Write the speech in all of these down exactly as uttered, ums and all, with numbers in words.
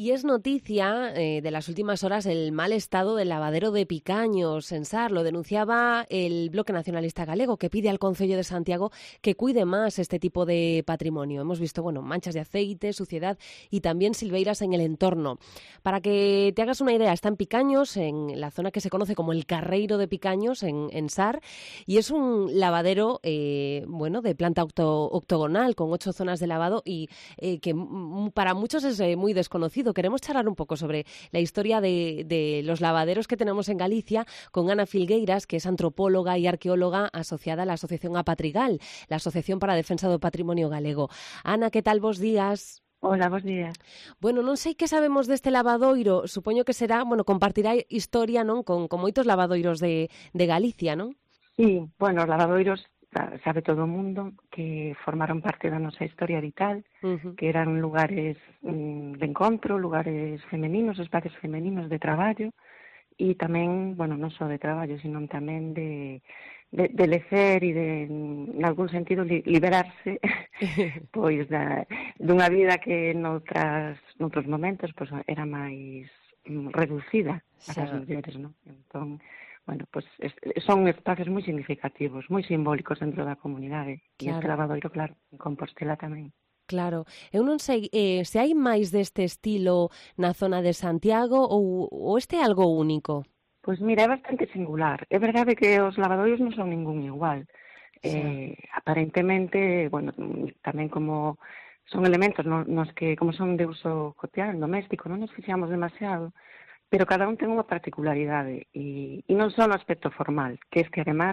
Y es noticia eh, de las últimas horas el mal estado del lavadero de Picaños en Sar. Lo denunciaba el Bloque Nacionalista Galego, que pide al Concello de Santiago que cuide más este tipo de patrimonio. Hemos visto, bueno, manchas de aceite, suciedad y también silveiras en el entorno. Para que te hagas una idea, está en Picaños, en la zona que se conoce como el Carreiro de Picaños, en, en Sar, y es un lavadero, eh, bueno, de planta octo, octogonal, con ocho zonas de lavado y eh, que m- para muchos es eh, muy desconocido. Queremos charlar un poco sobre la historia de, de los lavaderos que tenemos en Galicia con Ana Filgueiras, que es antropóloga y arqueóloga asociada a la Asociación Apatrigal, la Asociación para a Defensa do Patrimonio Galego. Ana, que tal, vos días? Hola, bos días. Bueno, non sei que sabemos deste lavadoiro, supoño que será, bueno, compartirá historia, non, con, con moitos lavadoiros de, de Galicia, non? Sí, bueno, os lavadoiros, sabe todo o mundo que formaron parte da nosa historia vital, Uh-huh. que eran lugares mm, de encontro, lugares femeninos, espacios femeninos de traballo, e tamén, bueno, non só de traballo, sino tamén de, de, de lecer e de, en algún sentido, li, liberarse pois da, dunha vida que noutras, noutros momentos pois, era máis mm, reducida para as Xa. mulleres, non? Entón, bueno, pues es, son espacios moi significativos, moi simbólicos dentro da comunidade. E este Claro, lavadoiro, claro, en Compostela tamén. claro. Eu non sei eh, se hai máis deste estilo na zona de Santiago ou, ou este é algo único. Pois mira, é bastante singular. É verdade que os lavadoiros non son ningún igual. Xa. Eh, aparentemente, bueno, tamén como son elementos no, nos que, como son de uso cotidiano, doméstico, non nos fixamos demasiado, pero cada un ten unha particularidade e, e non só no aspecto formal, que es que además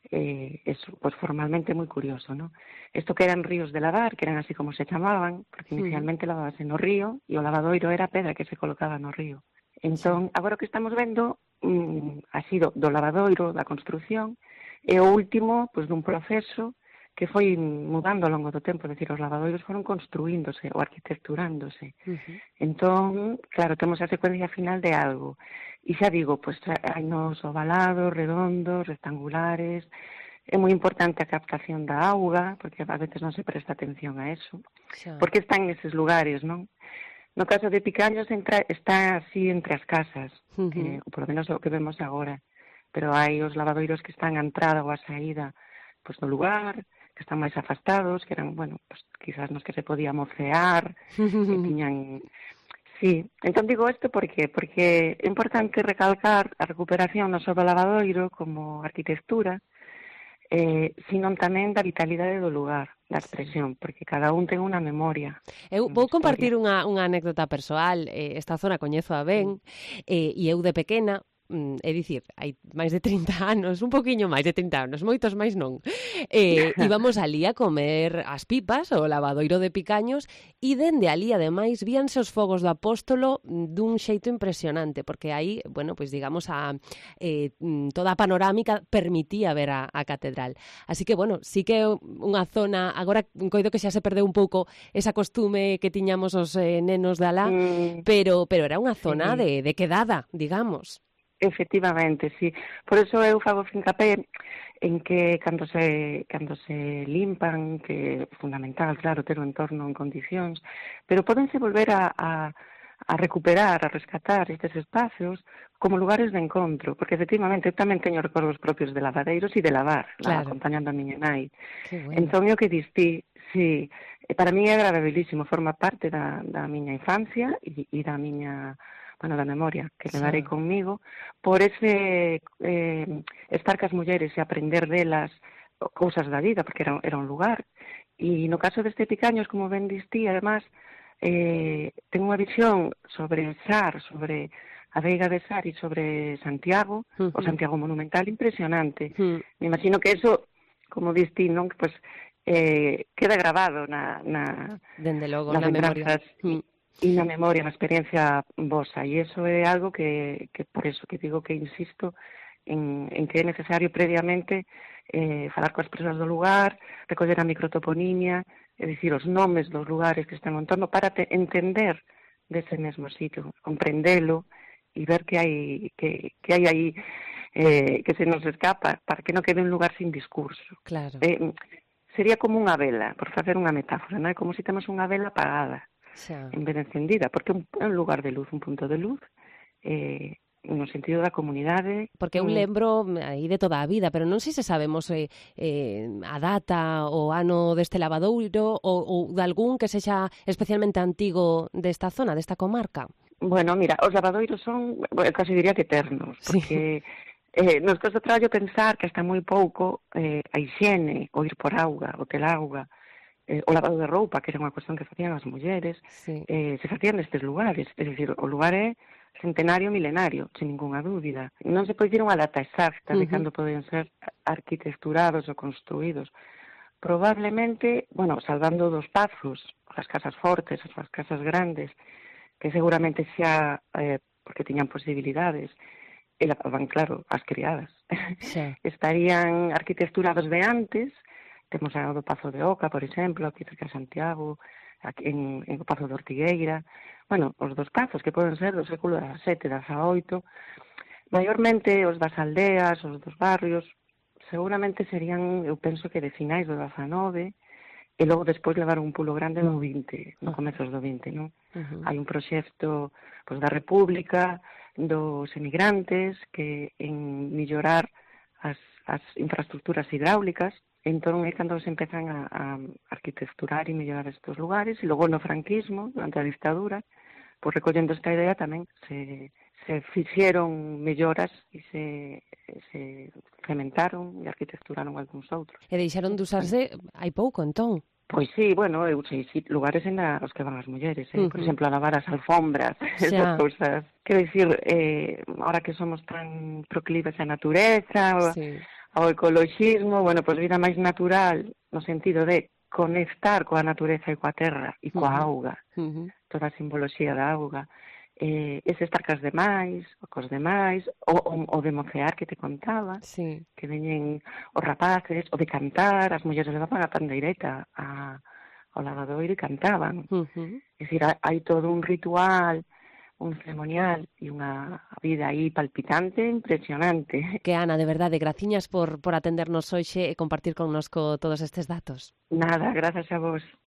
eh, es pues, formalmente moi curioso, ¿no? Isto que eran ríos de lavar, que eran así como se chamaban, porque Uh-huh. inicialmente lavabase no río e o lavadoiro era a pedra que se colocaba no río. Xa. Entón, agora o que estamos vendo mm, así do, do lavadoiro, da construción, é o último pues, dun proceso que foi mudando ao longo do tempo, é dicir, os lavadoiros foron construíndose ou arquitecturándose. Uh-huh. Entón, claro, temos a secuencia final de algo. E xa digo, pois hai nos ovalados, redondos, rectangulares. É moi importante a captación da auga, porque a veces non se presta atención a eso. Xa. Porque está en eses lugares, non? No caso de Picaños entra, está así entre as casas, Uh-huh. eh, ou polo menos o que vemos agora. Pero hai os lavadoiros que están a entrada ou a saída pois, do lugar, que están máis afastados, que eran, bueno, pues, quizás nos que se podía mocear, que tiñan... Sí, entón digo isto porque porque é importante recalcar a recuperación non só do lavadoiro como arquitectura, eh, sino tamén da vitalidade do lugar, da expresión, porque cada un ten unha memoria, Eu unha vou historia. compartir unha, unha anécdota persoal. Eh, esta zona coñezo a ben, eh, e eu de pequena, mm, é dicir, hai máis de trinta anos, un poquinho máis de trinta anos, moitos máis non, eh, íbamos alí a comer as pipas, o lavadoiro de Picaños, e dende alí, ademais, víanse os fogos do Apóstolo dun xeito impresionante, porque aí, bueno, pois digamos, a, eh, toda a panorámica permitía ver a, a catedral. Así que, bueno, sí que é unha zona, agora coido que xa se perdeu un pouco esa costume que tiñamos os eh, nenos de alá, Mm, pero, pero era unha zona sí. de, de quedada, digamos. Efectivamente, sí. Por eso eu fago fincapé en que cando se cando se limpan, que é fundamental, claro, ter o entorno en condicións, pero pódense volver a, a, a recuperar, a rescatar estes espacios como lugares de encontro, porque efectivamente eu tamén teño recordos propios de lavadeiros e de lavar, Claro. acompañando a miña nai. Que bueno. Entón, o que distí, sí, para mí é agradabilísimo, forma parte da, da miña infancia e, e da miña... bueno, da memoria que levarei Xa. conmigo, por ese eh, estar cas mulleres e aprender delas cousas da vida, porque era, era un lugar. E no caso deste Picaños, como ben distí, además, eh, ten unha visión sobre Sar, sobre a Veiga de Sar e sobre Santiago, Uh-huh. o Santiago monumental, impresionante. Uh-huh. Me imagino que eso, como distí, non? Pues, eh, queda grabado na, na, Dende logo, nas na memoria. lembranzas Uh-huh. e na memoria, na experiencia vosa, e iso é algo que, que por eso que digo que insisto en, en que é necesario previamente eh, falar coas persoas do lugar, recoller a microtoponimia, é dicir, os nomes dos lugares que están no entorno para te entender dese mesmo sitio, comprendelo e ver que hai que, que hai aí eh, que se nos escapa para que non quede un lugar sin discurso. Claro. Eh, sería como unha vela, por facer unha metáfora, non é? Como se temos unha vela apagada. xa. en vez de encendida, porque é un, é un lugar de luz, un punto de luz, eh, no sentido da comunidade. Porque eu lembro aí de toda a vida, pero non sei se sabemos eh, eh, a data o ano deste lavadoiro ou, ou de algún que sexa especialmente antigo desta zona, desta comarca. Bueno, mira, os lavadoiros son, bueno, casi diría que eternos, Sí. porque eh, nos costa traballo pensar que hasta moi pouco eh, a higiene, o ir por auga, o tel auga, eh, o lavado de roupa, que era unha cuestión que facían as mulleres, Sí. eh, se facían nestes lugares, é dicir, o lugar é centenario milenario, sin ninguna dúbida. Non se pode dicir unha data exacta de Uh-huh. cando poden ser arquitecturados ou construídos. Probablemente, bueno, salvando dos pazos, as casas fortes, as casas grandes, que seguramente xa, eh, porque tiñan posibilidades, e lavaban, claro, as criadas. Xa. Estarían arquitecturados de antes, temos a do Pazo de Oca, por exemplo, aquí cerca de Santiago, aquí en, en o Pazo de Ortigueira, bueno, os dos pazos que poden ser do século dezasete, dezaoito, maiormente os das aldeas, os dos barrios, seguramente serían, eu penso que de finais do dezanove, e logo despois levaron un pulo grande no vinte, no comezos do vinte, non? Uh-huh. Hai un proxecto pois, da República, dos emigrantes, que en mellorar as, as infraestructuras hidráulicas, entón é cando se empezan a, a arquitecturar e mellorar estes lugares, e logo no franquismo, durante a dictadura, pois recollendo esta idea tamén se, se fixeron melloras e se, se cementaron e arquitecturaron algúns outros. E deixaron de usarse hai pouco, entón? Pois sí, bueno, eu sei sí, lugares en a, os que van as mulleres, eh? Uh-huh. Por exemplo, a lavar as alfombras, esas cousas. Quero dicir, eh, ahora que somos tan proclives á natureza, ao, sí. ao ecoloxismo, bueno, pois vida máis natural, no sentido de conectar coa natureza e coa terra e coa Uh-huh. auga, Uh-huh. toda a simboloxía da auga. Eh, ese estar cas demais, o cos demais, o, o, o de mocear que te contaba, sí. que veñen os rapaces, o de cantar, as mulleres levaban a pandeireta a, ao lavadoiro e cantaban. Uh-huh. É dicir, hai todo un ritual, un ceremonial e unha vida aí palpitante, impresionante. Que Ana, de verdade, graciñas por, por atendernos hoxe e compartir connosco todos estes datos. Nada, grazas a vos.